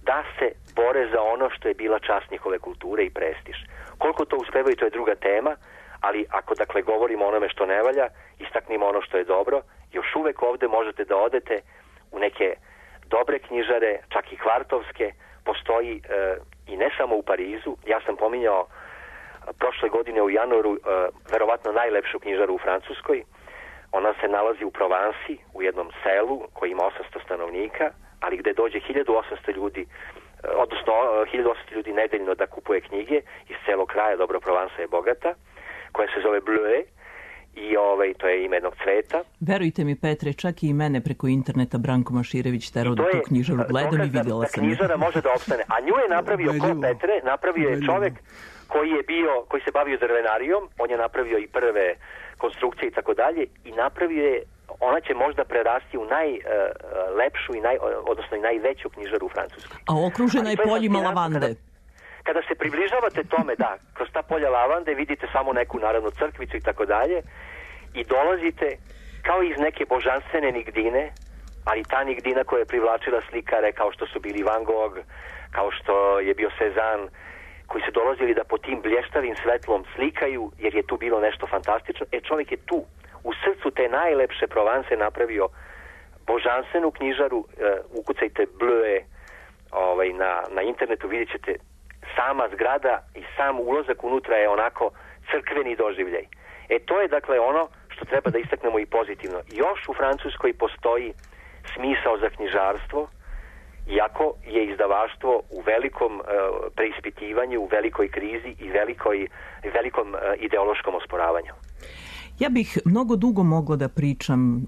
da se bore za ono što je bila čast njihove kulture i prestiž. Koliko to uspevaju, to je druga tema, ali ako, dakle, govorimo o onome što ne valja, istaknimo ono što je dobro, još uvek ovde možete da odete u neke dobre knjižare, čak i kvartovske, postoji e, i ne samo u Parizu. Ja sam pominjao a, prošle godine u januaru e, verovatno najlepšu knjižaru u Francuskoj. Ona se nalazi u Provansi, u jednom selu koji ima osamsto stanovnika, ali gde dođe hiljadu osamsto ljudi, odnosno hiljadu osamsto ljudi nedeljno da kupuje knjige iz celog kraja. Dobro, Provansa je bogata, koja se zove Bleu, i ovaj, to je ime jednog cveta. Verujte mi, Petre, čak i mene preko interneta Branko Maširević terao da tu knjižaru gledam i vidjela da, sam. Da knjižara može da opstane. A nju je napravio ko, Petre? Napravio je čovek koji je bio, koji se bavio drvenarijom, on je napravio i prve konstrukcije i tako dalje, i napravio je, ona će možda prerasti u najlepšu uh, i naj, odnosno i najveću knjižaru u Francuskoj. A okružena je poljima lavande. Kada, kada se približavate tome, da, kroz ta polja lavande vidite samo neku, naravno, crkvicu i tako dalje, i dolazite kao iz neke božanstvene nigdine, ali ta nigdina koja je privlačila slikare kao što su bili Van Gogh, kao što je bio Cezanne, koji su dolazili da po tim blještavim svetlom slikaju, jer je tu bilo nešto fantastično. E, čovjek je tu, u srcu te najlepše Provanse, napravio božanstvenu knjižaru. E, ukucajte Bleu ovaj, na, na internetu, vidjet ćete sama zgrada i sam ulazak unutra je onako crkveni doživljaj. E, to je, dakle, ono što treba da istaknemo i pozitivno. Još u Francuskoj postoji smisao za knjižarstvo, iako je izdavaštvo u velikom uh, preispitivanju, u velikoj krizi i velikoj, velikom uh, ideološkom osporavanju. Ja bih mnogo dugo mogla da pričam uh,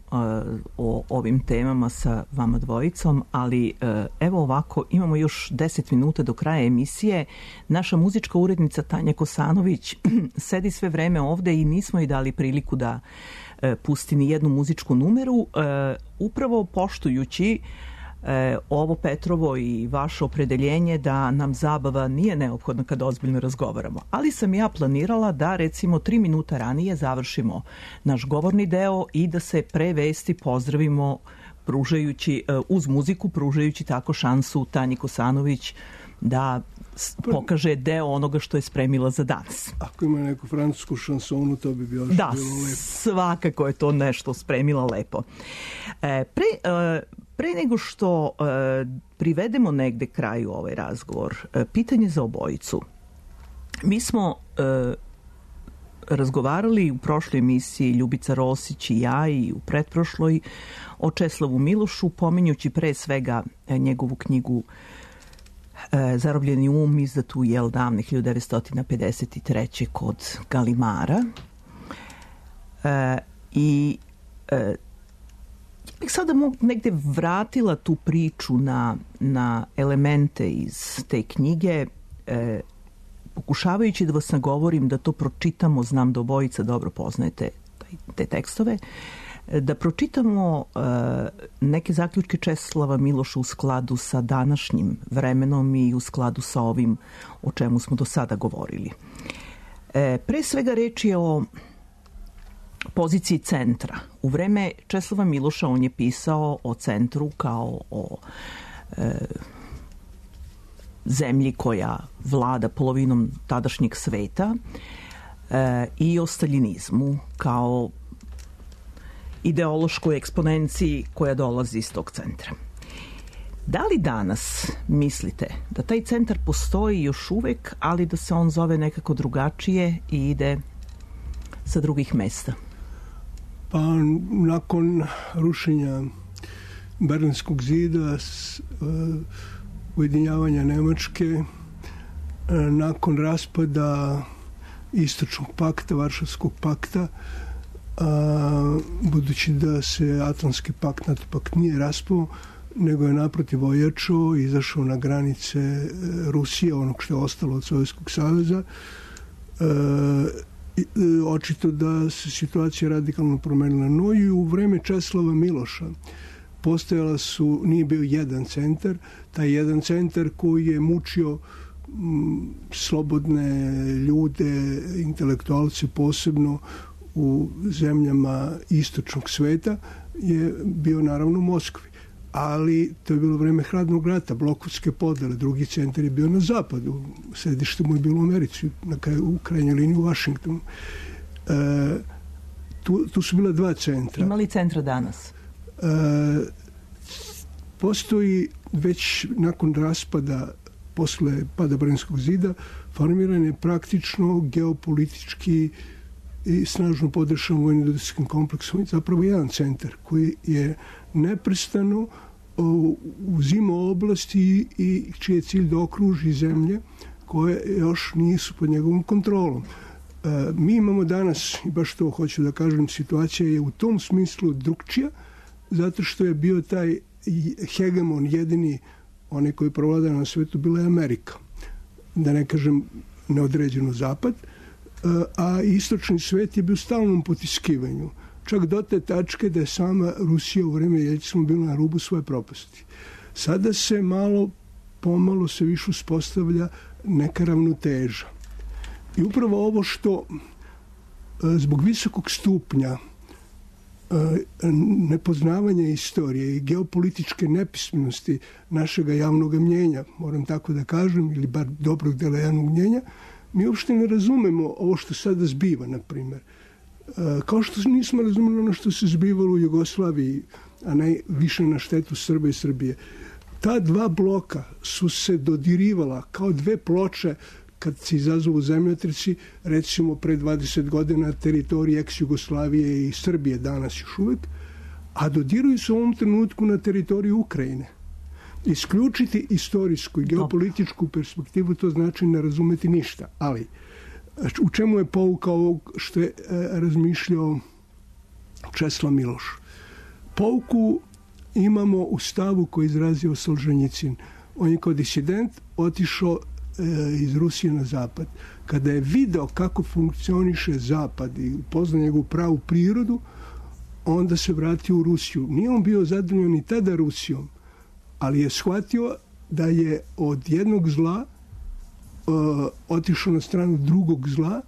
o ovim temama sa vama dvojicom, ali uh, evo ovako, imamo još deset minuta do kraja emisije. Naša muzička urednica Tanja Kosanović sedi sve vreme ovde i nismo joj dali priliku da uh, pusti ni jednu muzičku numeru, uh, upravo poštujući E, ovo Petrovo i vaše opredeljenje da nam zabava nije neophodna kada ozbiljno razgovaramo. Ali sam ja planirala da recimo tri minuta ranije završimo naš govorni deo i da se pre vesti pozdravimo pružajući, e, uz muziku, pružajući tako šansu Tanji Kosanović da pokaže deo onoga što je spremila za danas. Ako ima neku francusku šansonu, to bi bilo, da, bilo lepo. Svakako je to nešto spremila lepo. E, pre... E, Pre nego što e, privedemo negde kraju ovaj razgovor, e, pitanje za obojicu. Mi smo e, razgovarali u prošloj emisiji Ljubica Rosić i ja i u pretprošloj o Česlavu Milošu, pominjući pre svega njegovu knjigu Zarobljeni um, izdatu jel davne hiljadu devetsto pedeset treće kod Galimara. E, I e, ja bih sada negde vratila tu priču na, na elemente iz te knjige, e, pokušavajući da vas nagovorim da to pročitamo, znam da obojica dobro poznajete te tekstove, da pročitamo uh, neke zaključke Česlava Miloša u skladu sa današnjim vremenom i u skladu sa ovim o čemu smo do sada govorili. E, pre svega reč je o poziciji centra. U vreme Česlava Miloša on je pisao o centru kao o e, zemlji koja vlada polovinom tadašnjeg sveta e, i o staljinizmu kao ideološkoj eksponenciji koja dolazi iz tog centra. Da li danas mislite da taj centar postoji još uvek, ali da se on zove nekako drugačije i ide sa drugih mesta? Pa nakon rušenja Berlinskog zida, s, uh, ujedinjavanja Nemačke, uh, nakon raspada Istočnog pakta, Varšavskog pakta, a, budući da se Atlantski pakt, NATO pakt nije raspao, nego je naprotiv ojačao i izašao na granice e, Rusije, onog što je ostalo od Sovjetskog saveza. E, e, očito da se situacija radikalno promenila. No i u vreme Česlava Miloša postojala su, nije bio jedan centar, taj jedan centar koji je mučio m, slobodne ljude, intelektualce posebno u zemljama istočnog sveta, je bio naravno u Moskvi. Ali to je bilo vreme hladnog rata, blokovske podele. Drugi centar je bio na zapadu. Središte mu je bilo u Americi, na kraju, u krajnjoj liniji u Vašingtonu. E, tu, tu su bila dva centra. Ima li centra danas? E, postoji već nakon raspada, posle pada Berlinskog zida, formiran je praktično geopolitički i snažno podršan vojno-industrijskim kompleksom, zapravo jedan centar koji je neprestano uzimao oblasti i čiji je cilj da okruži zemlje koje još nisu pod njegovom kontrolom. E, mi imamo danas, i baš to hoću da kažem, situacija je u tom smislu drugčija, zato što je bio taj hegemon jedini, onaj koji provlada na svetu, bila je Amerika. Da ne kažem neodređeno zapad, a istočni svet je bio u stalnom potiskivanju. Čak do te tačke da je sama Rusija u vreme Jeljcina bila na rubu svoje propasti. Sada se malo, pomalo se više uspostavlja neka ravnoteža. I upravo ovo što zbog visokog stupnja nepoznavanja istorije i geopolitičke nepismenosti našega javnog mnjenja, moram tako da kažem, ili bar dobrog dela javnog mnjenja, mi uopšte ne razumemo ovo što sada zbiva, na primjer. Kao što nismo razumeli ono što se zbivalo u Jugoslaviji, a ne više na štetu Srba i Srbije. Ta dva bloka su se dodirivala kao dve ploče kad se izazovu zemljotresi, recimo pre dvadeset godina teritorije ex-Jugoslavije i Srbije danas još uvek, a dodiruju se u ovom trenutku na teritoriju Ukrajine. Isključiti istorijsku i geopolitičku perspektivu, to znači ne razumeti ništa. Ali u čemu je pouka ovog što je razmišljao Česlav Miloš? Pouku imamo u stavu koji je izrazio Solženjicin. On je kao disident otišao iz Rusije na zapad. Kada je video kako funkcioniše zapad i upoznao njegovu pravu prirodu, onda se vratio u Rusiju. Nije on bio zadovoljan ni tada Rusijom, ali je shvatio da je od jednog zla uh, otišao na stranu drugog zla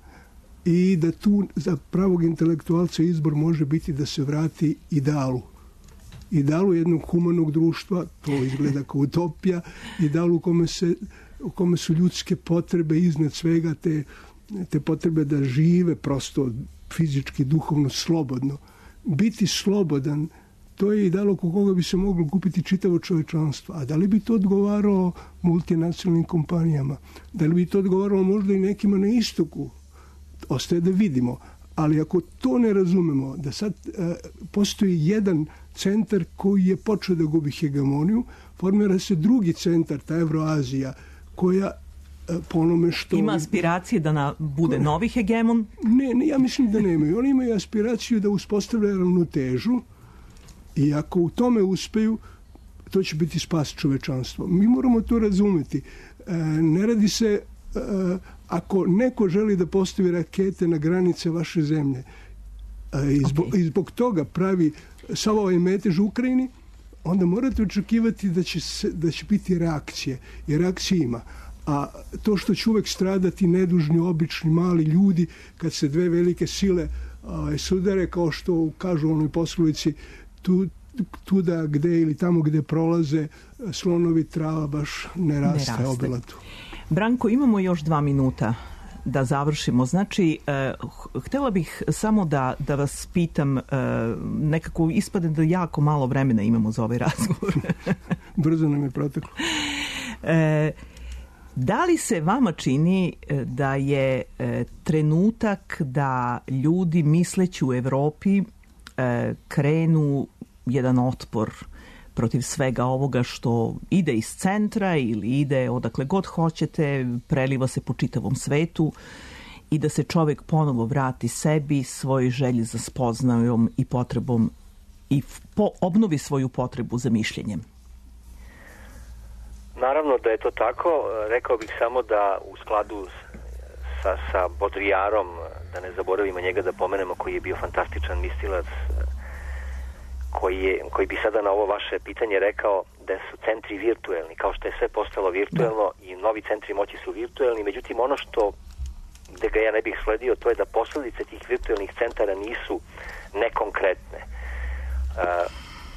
i da tu za pravog intelektualca izbor može biti da se vrati idealu. Idealu jednog humanog društva, to izgleda kao utopija, idealu u kome, se, u kome su ljudske potrebe iznad svega, te, te potrebe da žive prosto fizički, duhovno, slobodno. Biti slobodan, to je ideal oko koga bi se moglo kupiti čitavo čovečanstvo. A da li bi to odgovaralo multinacionalnim kompanijama? Da li bi to odgovaralo možda i nekima na istoku? ostaje da vidimo. Ali ako to ne razumemo, da sad e, postoji jedan centar koji je počeo da gubi hegemoniju, formira se drugi centar, ta Evroazija, koja e, po onome što... Ima aspiracije da na, bude novi hegemon? Ne, ne, ja mislim da nemaju. Oni imaju aspiraciju da uspostavljaju ravnotežu i ako u tome uspeju, to će biti spas čovečanstva. Mi moramo to razumeti. E, ne radi se... E, ako neko želi da postavi rakete na granice vaše zemlje i zbog, okay. i zbog toga pravi sav ovaj metež u Ukrajini, onda morate očekivati da će, se, da će biti reakcije. I reakcije ima. A to što će uvek stradati nedužni, obični, mali ljudi kad se dve velike sile a, sudare, kao što kažu u onoj poslovici, tu, tuda gde ili tamo gde prolaze slonovi, trava baš ne raste, ne raste. Obilatu. Branko, imamo još dva minuta da završimo. Znači, eh, htjela bih samo da, da vas pitam, eh, nekako ispade da jako malo vremena imamo za ovaj razgovor. Brzo nam je proteklo. Eh, da li se vama čini da je eh, trenutak da ljudi misleći u Evropi eh, krenu jedan otpor protiv svega ovoga što ide iz centra ili ide odakle god hoćete, preliva se po čitavom svetu i da se čovjek ponovo vrati sebi, svojoj želji za spoznajom i potrebom i po, obnovi svoju potrebu za mišljenjem? Naravno da je to tako. Rekao bih samo da u skladu sa, sa Baudrillardom, da ne zaboravimo njega da pomenemo, koji je bio fantastičan mislilac, Koji, je, koji bi sada na ovo vaše pitanje rekao da su centri virtuelni, kao što je sve postalo virtuelno i novi centri moći su virtuelni, međutim ono što gde ga ja ne bih sledio, to je da posledice tih virtuelnih centara nisu nekonkretne. Uh,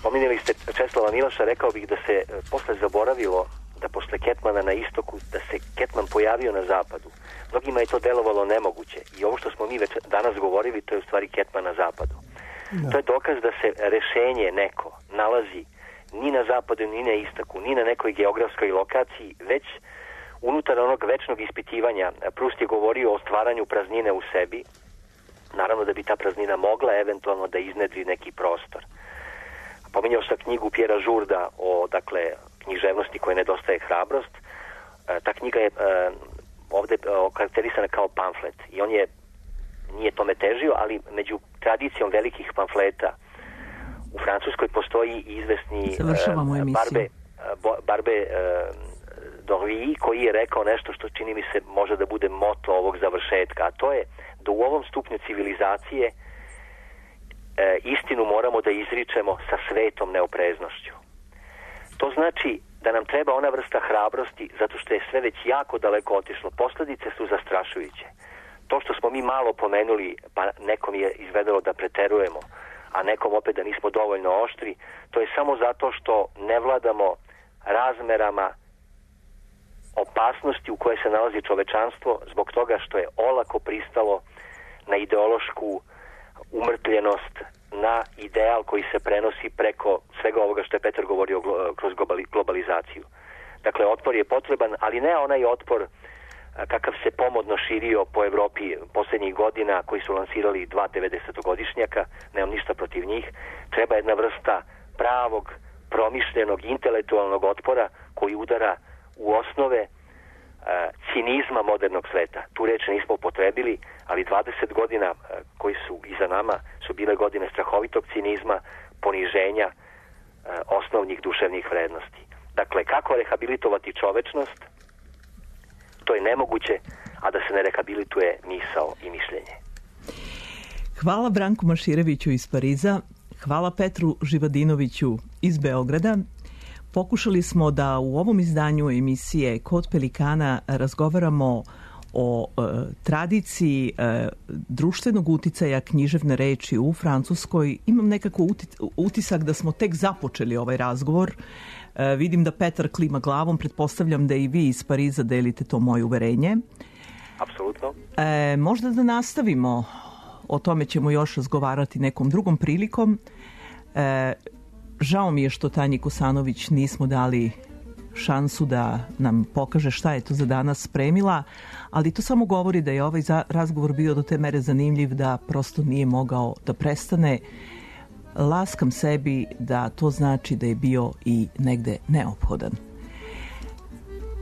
pominjali ste Česlava Miloša, rekao bih da se posle zaboravilo da posle Ketmana na istoku, da se Ketman pojavio na zapadu. Mnogima je to delovalo nemoguće i ovo što smo mi već danas govorili, to je u stvari Ketman na zapadu. Da. To je dokaz da se rešenje neko nalazi ni na zapadu, ni na istoku, ni na nekoj geografskoj lokaciji, već unutar onog večnog ispitivanja. Proust je govorio o stvaranju praznine u sebi, naravno da bi ta praznina mogla eventualno da iznedri neki prostor. Pominjao sam knjigu Pjera Žurda o, dakle, književnosti koje nedostaje hrabrost. Ta knjiga je ovde okarakterisana kao pamflet i on je nije tome težio, ali među tradicijom velikih pamfleta u Francuskoj postoji izvesni uh, Barbe, uh, Barbe uh, d'Orly, koji je rekao nešto što čini mi se može da bude moto ovog završetka, a to je da u ovom stupnju civilizacije uh, istinu moramo da izričemo sa svetom neopreznošću. To znači da nam treba ona vrsta hrabrosti, zato što je sve već jako daleko otišlo. Posledice su zastrašujuće. To što smo mi malo pomenuli, pa nekom je izvedelo da preterujemo, a nekom opet da nismo dovoljno oštri, to je samo zato što ne vladamo razmerama opasnosti u kojoj se nalazi čovečanstvo zbog toga što je olako pristalo na ideološku umrtljenost, na ideal koji se prenosi preko svega ovoga što je Petar govorio kroz globalizaciju. Dakle, otpor je potreban, ali ne onaj otpor kakav se pomodno širio po Evropi posljednjih godina, koji su lansirali dva devedesetogodišnjaka, nemam ništa protiv njih. Treba jedna vrsta pravog, promišljenog, intelektualnog otpora koji udara u osnove uh, cinizma modernog sveta. Tu reč nismo upotrebili, ali dvadeset godina uh, koji su iza nama su bile godine strahovitog cinizma, poniženja uh, osnovnih duševnih vrednosti. Dakle, kako rehabilitovati čovečnost? To je nemoguće, a da se ne rehabilituje misao i mišljenje. Hvala Branku Mašireviću iz Pariza, hvala Petru Živadinoviću iz Beograda. Pokušali smo da u ovom izdanju emisije Kod Pelikana razgovaramo o e, tradiciji e, društvenog uticaja književne reči u Francuskoj. Imam nekako utisak da smo tek započeli ovaj razgovor. E, vidim da Petar klima glavom, pretpostavljam da i vi iz Pariza delite to moje uverenje. Apsolutno. E, možda da nastavimo, o tome ćemo još razgovarati nekom drugom prilikom. E, žao mi je što Tanji Kosanović nismo dali šansu da nam pokaže šta je to za danas spremila, ali to samo govori da je ovaj razgovor bio do te mere zanimljiv da prosto nije mogao da prestane. Laskam sebi da to znači da je bio i negde neophodan.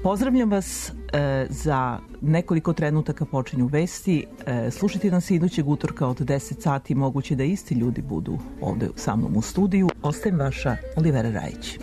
Pozdravljam vas, e, za nekoliko trenutaka počinju vesti. E, slušajte nas idućeg utorka od deset sati, moguće da isti ljudi budu ovde sa mnom u studiju. Ostajem vaša Olivera Rajić.